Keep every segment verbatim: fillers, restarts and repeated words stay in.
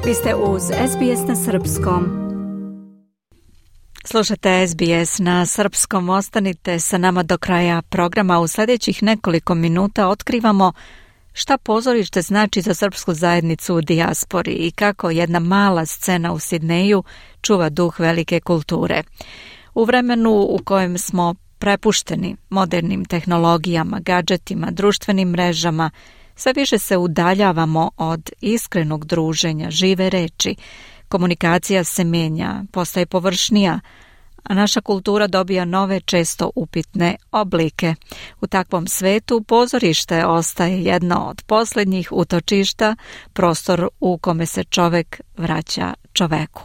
Vi ste uz S B S na srpskom. Slušate S B S na srpskom. Ostanite sa nama do kraja programa. U sljedećih nekoliko minuta otkrivamo šta pozorište znači za srpsku zajednicu u dijaspori i kako jedna mala scena u Sidneju čuva duh velike kulture. U vremenu u kojem smo prepušteni modernim tehnologijama, gadžetima, društvenim mrežama, sve više se udaljavamo od iskrenog druženja, žive reči. Komunikacija se mijenja, postaje površnija, a naša kultura dobija nove, često upitne oblike. U takvom svetu pozorište ostaje jedno od posljednjih utočišta, prostor u kome se čovek vraća čoveku.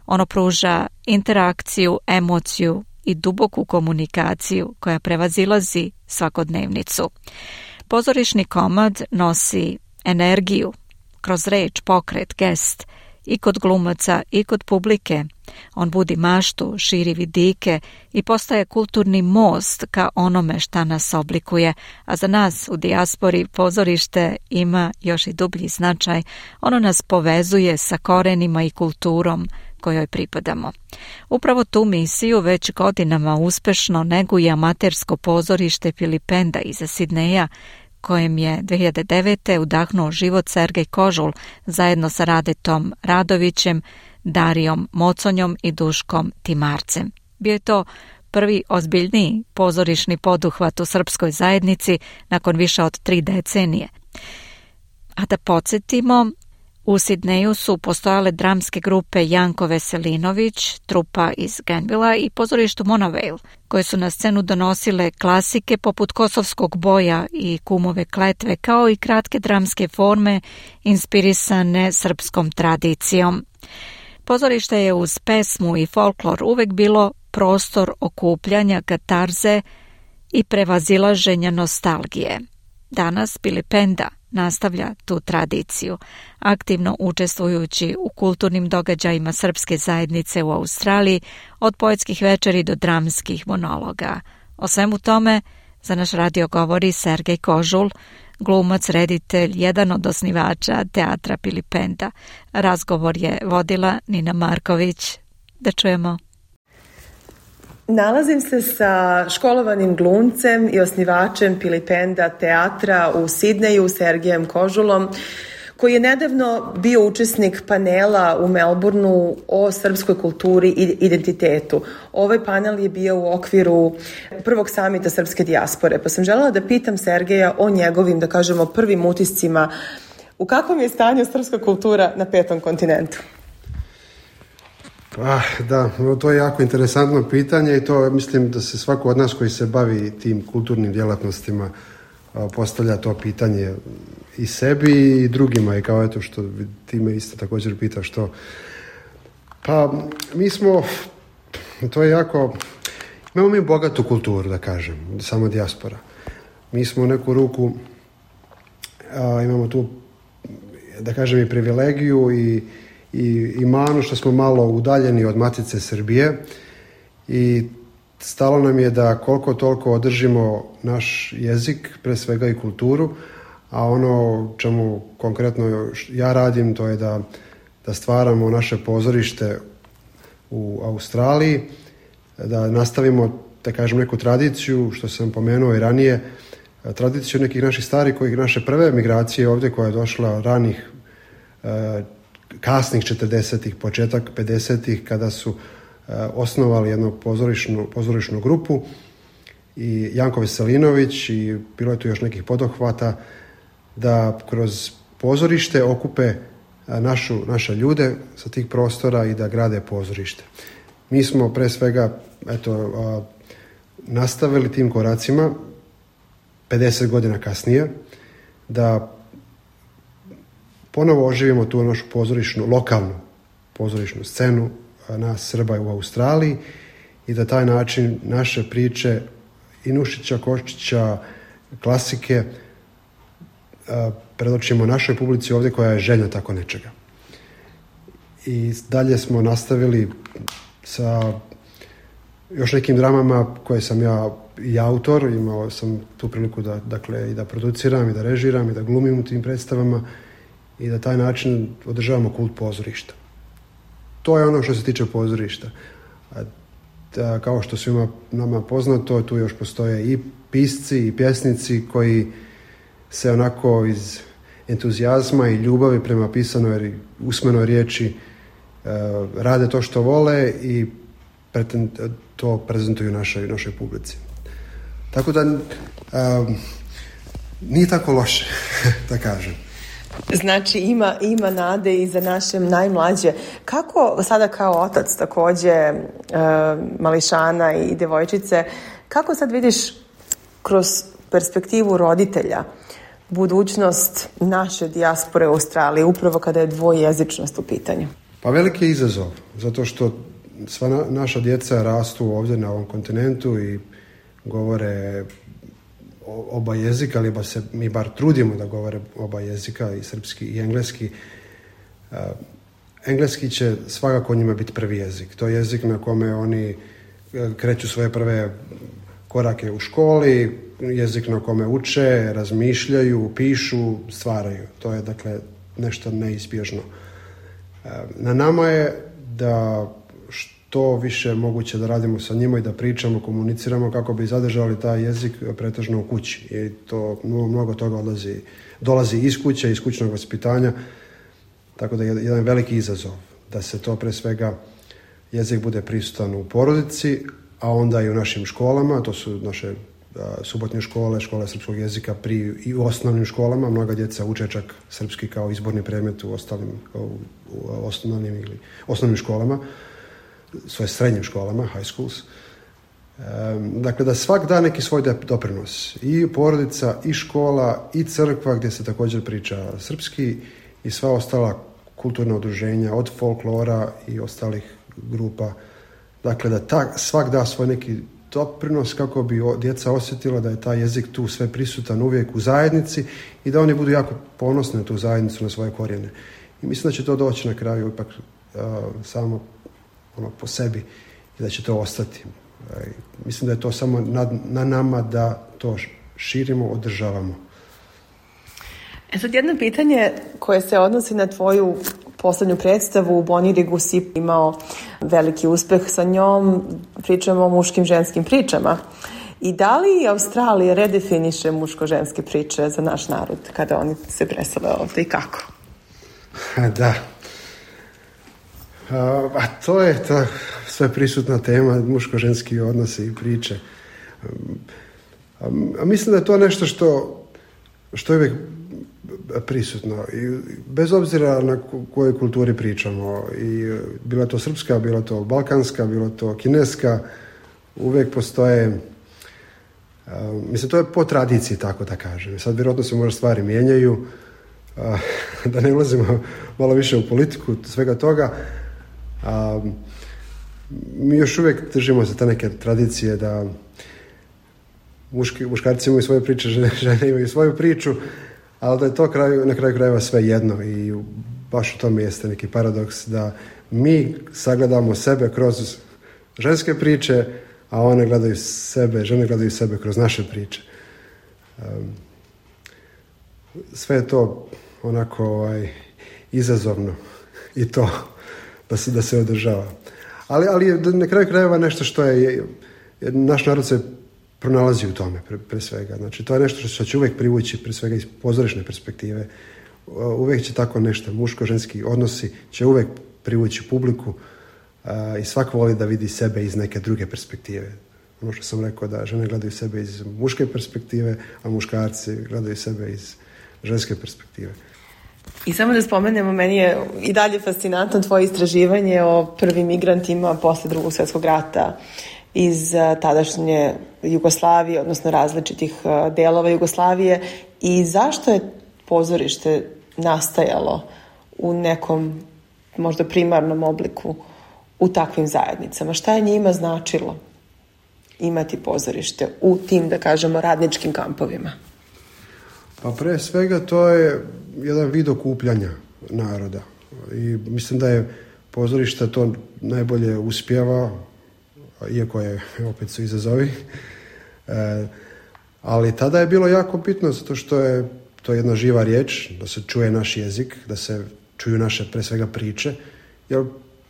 Ono pruža interakciju, emociju i duboku komunikaciju koja prevazilazi svakodnevnicu. Pozorišni komad nosi energiju kroz reč, pokret, gest i kod glumaca i kod publike. On budi maštu, širi vidike i postaje kulturni most ka onome šta nas oblikuje, a za nas u dijaspori pozorište ima još i dublji značaj. Ono nas povezuje sa korenima i kulturom kojoj pripadamo. Upravo tu misiju već godinama uspešno neguje amatersko pozorište Pilipenda iza Sidneja, kojem je dve hiljade devete. udahnuo život Sergej Kožul zajedno sa Radetom Radovićem, Darijom Moconjom i Duškom Timarcem. Bio je to prvi ozbiljniji pozorišni poduhvat u srpskoj zajednici nakon više od tri decenije. A da podsjetimo, u Sidneju su postojale dramske grupe Janko Veselinović, trupa iz Grenvilla i pozorištu Monavale, koje su na scenu donosile klasike poput Kosovskog boja i Kumove kletve, kao i kratke dramske forme inspirisane srpskom tradicijom. Pozorište je uz pesmu i folklor uvek bilo prostor okupljanja, katarze i prevazilaženja nostalgije. Danas Pilipenda nastavlja tu tradiciju, aktivno učestvujući u kulturnim događajima srpske zajednice u Australiji, od poetskih večeri do dramskih monologa. O svemu tome za naš radio govori Sergej Kožul, glumac, reditelj, jedan od osnivača teatra Pilipenda. Razgovor je vodila Nina Marković. Da čujemo. Nalazim se sa školovanim glumcem i osnivačem Pilipenda teatra u Sidneju, Sergejem Kožulom, koji je nedavno bio učesnik panela u Melbourneu o srpskoj kulturi i identitetu. Ovaj panel je bio u okviru prvog samita srpske dijaspore, pa sam želela da pitam Sergeja o njegovim, da kažemo, prvim utiscima. U kakvom je stanju srpska kultura na petom kontinentu? Ah, da, to je jako interesantno pitanje i to mislim da se svako od nas koji se bavi tim kulturnim djelatnostima postavlja to pitanje i sebi i drugima, i kao eto što ti me isto također pita što. Pa mi smo, to je jako, imamo mi bogatu kulturu, da kažem, samo dijaspora. Mi smo u neku ruku, a, imamo tu, da kažem, i privilegiju i i, i manu što smo malo udaljeni od matice Srbije i stalo nam je da koliko toliko održimo naš jezik, pre svega i kulturu, a ono čemu konkretno ja radim to je da, da stvaramo naše pozorište u Australiji, da nastavimo, da kažem, neku tradiciju, što sam pomenuo i ranije, tradiciju nekih naših starih, kojih naše prve migracije ovdje koja je došla ranih kasnih četrdesetih, početak pedesetih, kada su e, osnovali jednu pozorišnu, pozorišnu grupu i Janko Veselinović i bilo je tu još nekih podohvata da kroz pozorište okupe našu, naše ljude sa tih prostora i da grade pozorište. Mi smo pre svega eto, a, nastavili tim koracima pedeset godina kasnije da ponovo oživimo tu našu pozorišnu, lokalnu pozorišnu scenu nas Srba u Australiji i da taj način naše priče i Nušića, Koščića, klasike predočimo našoj publici ovdje koja je željna tako nečega. I dalje smo nastavili sa još nekim dramama koje sam ja i autor, imao sam tu priliku da, dakle, i da produciram i da režiram i da glumim u tim predstavama i da taj način održavamo kult pozorišta. To je ono što se tiče pozorišta. A, da, kao što svima nama poznato, tu još postoje i pisci i pjesnici koji se onako iz entuzijazma i ljubavi prema pisanoj usmenoj riječi uh, rade to što vole i pretend, to prezentuju našoj, našoj publici. Tako da uh, nije tako loše, da kažem. Znači ima, ima nade i za naše najmlađe. Kako sada kao otac takođe e, mališana i devojčice, kako sad vidiš kroz perspektivu roditelja budućnost naše dijaspore u Australiji, upravo kada je dvojezičnost u pitanju? Pa veliki je izazov, zato što sva na, naša djeca rastu ovdje na ovom kontinentu i govore oba jezika, ali ba se mi bar trudimo da govore oba jezika, i srpski i engleski. Uh, engleski će svakako njima biti prvi jezik. To je jezik na kome oni kreću svoje prve korake u školi, jezik na kome uče, razmišljaju, pišu, stvaraju. To je dakle nešto neizbježno. Uh, na nama je da to više moguće da radimo sa njima i da pričamo, komuniciramo kako bi zadržali taj jezik pretežno u kući. I to mnogo, mnogo toga odlazi, dolazi iz kuće, iz kućnog vaspitanja, tako da je jedan veliki izazov da se to pre svega jezik bude prisutan u porodici, a onda i u našim školama, to su naše a, subotnje škole, škole srpskog jezika pri, i u osnovnim školama. Mnoga djeca uče čak srpski kao izborni predmet u ostalim u, u osnovnim ili osnovnim školama, svoje srednjim školama, high schools. Um, dakle, da svak da neki svoj doprinos. I porodica, i škola, i crkva gdje se također priča srpski i sva ostala kulturna udruženja, od folklora i ostalih grupa. Dakle, da ta, svak da svoj neki doprinos kako bi djeca osjetila da je taj jezik tu sve prisutan uvijek u zajednici i da oni budu jako ponosni na tu zajednicu, na svoje korijene. I mislim da će to doći na kraju ipak uh, samo ono po sebi i da će to ostati. Mislim da je to samo na, na nama da to širimo, održavamo. E sad jedno pitanje koje se odnosi na tvoju poslednju predstavu u Bonirigu, si imao veliki uspeh sa njom, pričamo o muškim ženskim pričama. I da li Australija redefiniše muško-ženske priče za naš narod kada oni se presele ovdje i kako? Da. A to je ta sve prisutna tema, muško-ženski odnosi i priče. A mislim da je to nešto što, što je uvijek prisutno. I bez obzira na kojoj kulturi pričamo. I bila to srpska, bila to balkanska, bila to kineska, uvijek postoje... A, mislim, to je po tradiciji, tako da kažem. Sad vjerojatno se možda stvari mijenjaju, a, da ne ulazimo malo više u politiku svega toga. A, mi još uvijek držimo se te neke tradicije da muški, muškarci imaju svoje priče, žene, žene imaju svoju priču, ali da je to kraju, na kraju krajeva sve jedno i baš u tome jeste neki paradoks da mi sagledamo sebe kroz ženske priče, a one gledaju sebe, žene gledaju sebe kroz naše priče. Um, sve je to onako ovaj, izazovno i to da se, da se održava. Ali, ali na kraju krajeva nešto što je, naš narod se pronalazi u tome pre, pre svega. Znači, to je nešto što će uvijek privući pre svega iz pozorišne perspektive. Uvijek će tako nešto, muško-ženski odnosi će uvijek privući publiku a, i svako voli da vidi sebe iz neke druge perspektive. Ono što sam rekao da žene gledaju sebe iz muške perspektive, a muškarci gledaju sebe iz ženske perspektive. I samo da spomenemo, meni je i dalje fascinantno tvoje istraživanje o prvim migrantima posle Drugog svjetskog rata iz tadašnje Jugoslavije, odnosno različitih delova Jugoslavije, i zašto je pozorište nastajalo u nekom možda primarnom obliku u takvim zajednicama. Šta je njima značilo imati pozorište u tim, da kažemo, radničkim kampovima? Pa pre svega to je jedan vid okupljanja naroda. I mislim da je pozorište to najbolje uspjeva, iako je, opet su izazovi. E, ali tada je bilo jako bitno, zato što je to je jedna živa riječ, da se čuje naš jezik, da se čuju naše, pre svega, priče, jer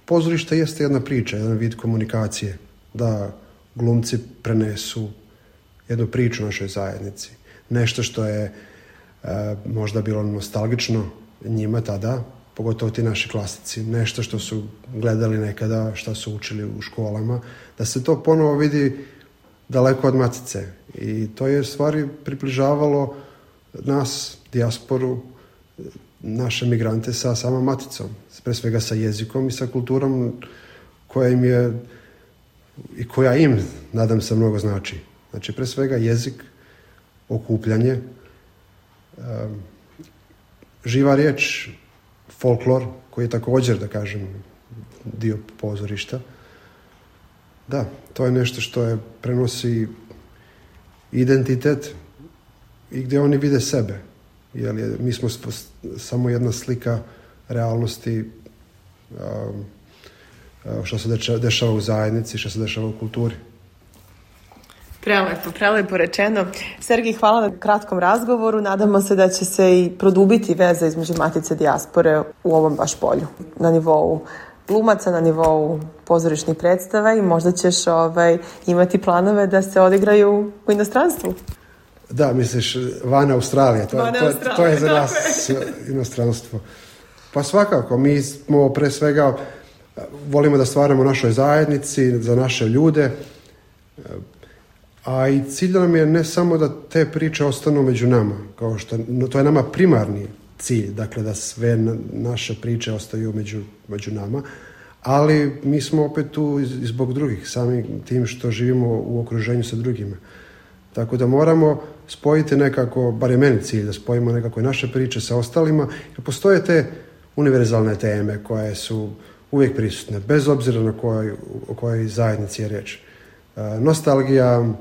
pozorište jeste jedna priča, jedan vid komunikacije, da glumci prenesu jednu priču našoj zajednici. Nešto što je e, možda bilo nostalgično njima tada, pogotovo ti naši klasici, nešto što su gledali nekada, što su učili u školama, da se to ponovo vidi daleko od matice. I to je stvari približavalo nas, dijasporu, naše migrante sa samom maticom, pre svega sa jezikom i sa kulturom koja im je i koja im, nadam se, mnogo znači. Znači, pre svega jezik, okupljanje, um, živa riječ, folklor, koji je također, da kažem, dio pozorišta. Da, to je nešto što je prenosi identitet i gdje oni vide sebe. Jer je, mi smo samo jedna slika realnosti um, što se dešava u zajednici, što se dešava u kulturi. Prelepo, prelepo rečeno. Sergij, hvala na kratkom razgovoru. Nadamo se da će se i produbiti veza između Matice dijaspore u ovom baš polju. Na nivou glumaca, na nivou pozorišnih predstava i možda ćeš ovaj, imati planove da se odigraju u inostranstvu. Da, misliš, van Australije. To, van to, Australije, to je za nas inostranstvo. Pa svakako, mi smo pre svega volimo da stvaramo u našoj zajednici, za naše ljude, a i cilj nam je ne samo da te priče ostanu među nama, kao što, no, to je nama primarni cilj, dakle da sve naše priče ostaju među, među nama, ali mi smo opet tu i zbog drugih, samim tim što živimo u okruženju sa drugima. Tako da moramo spojiti nekako, bar je meni cilj, da spojimo nekako i naše priče sa ostalima, jer postoje te univerzalne teme koje su uvijek prisutne, bez obzira na kojoj, o kojoj zajednici je riječ. Nostalgija,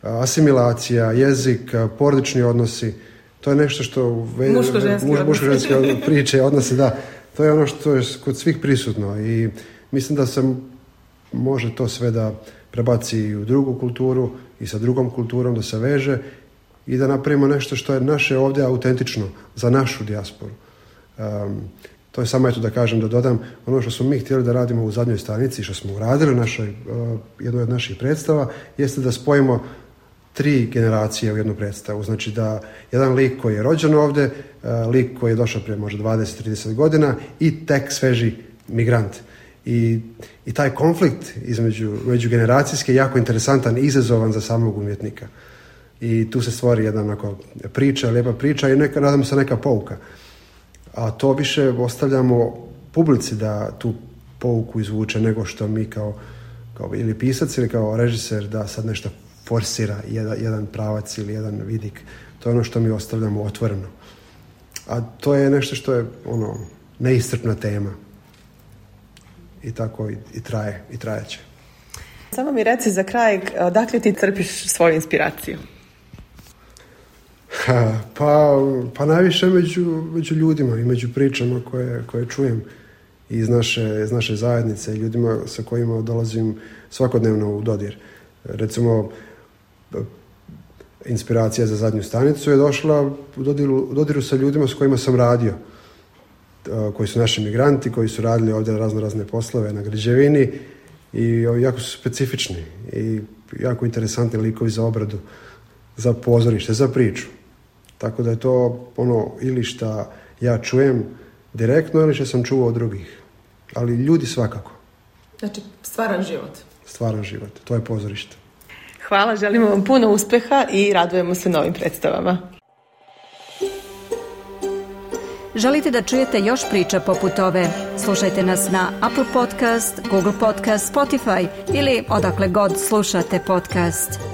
asimilacija, jezik, porodični odnosi, to je nešto što muško-ženske muš, muško priče, odnosi, da, to je ono što je kod svih prisutno i mislim da se može to sve da prebaci i u drugu kulturu i sa drugom kulturom da se veže i da napravimo nešto što je naše ovdje autentično za našu dijasporu. Um, to je samo eto da kažem, da dodam ono što smo mi htjeli da radimo u zadnjoj stanici, što smo uradili u našoj, uh, jednoj od naših predstava, jeste da spojimo tri generacije u jednu predstavu. Znači da jedan lik koji je rođen ovdje, uh, lik koji je došao prije možda dvadeset do trideset godina i tek sveži migrant. I, i taj konflikt između međugeneracijski je jako interesantan i izazovan za samog umjetnika. I tu se stvori jedna onako priča, lijepa priča i neka, nadam se, neka pouka. A to više ostavljamo publici da tu pouku izvuče nego što mi kao, kao ili pisac ili kao režiser da sad nešto forsira jedan, jedan pravac ili jedan vidik. To je ono što mi ostavljamo otvoreno. A to je nešto što je ono neiscrpna tema. I tako i, i traje, i trajeće. Samo mi reci za kraj, odakle ti crpiš svoju inspiraciju? Ha, pa, pa najviše među, među ljudima i među pričama koje, koje čujem iz naše, iz naše zajednice i ljudima sa kojima dolazim svakodnevno u dodir. Recimo, inspiracija za zadnju stanicu je došla u dodiru, u dodiru sa ljudima s kojima sam radio, koji su naši migranti, koji su radili ovdje razno razne poslove na građevini i jako su specifični i jako interesantni likovi za obradu, za pozorište, za priču. Tako da je to ono ili šta ja čujem direktno ili što sam čuo od drugih. Ali ljudi svakako. Znači, stvaran život. Stvaran život, to je pozorište. Hvala, želimo vam puno uspjeha i radujemo se novim predstavama. Želite da čujete još priča poput ove? Slušajte nas na Apple Podcast, Google Podcast, Spotify ili odakle god slušate podcast.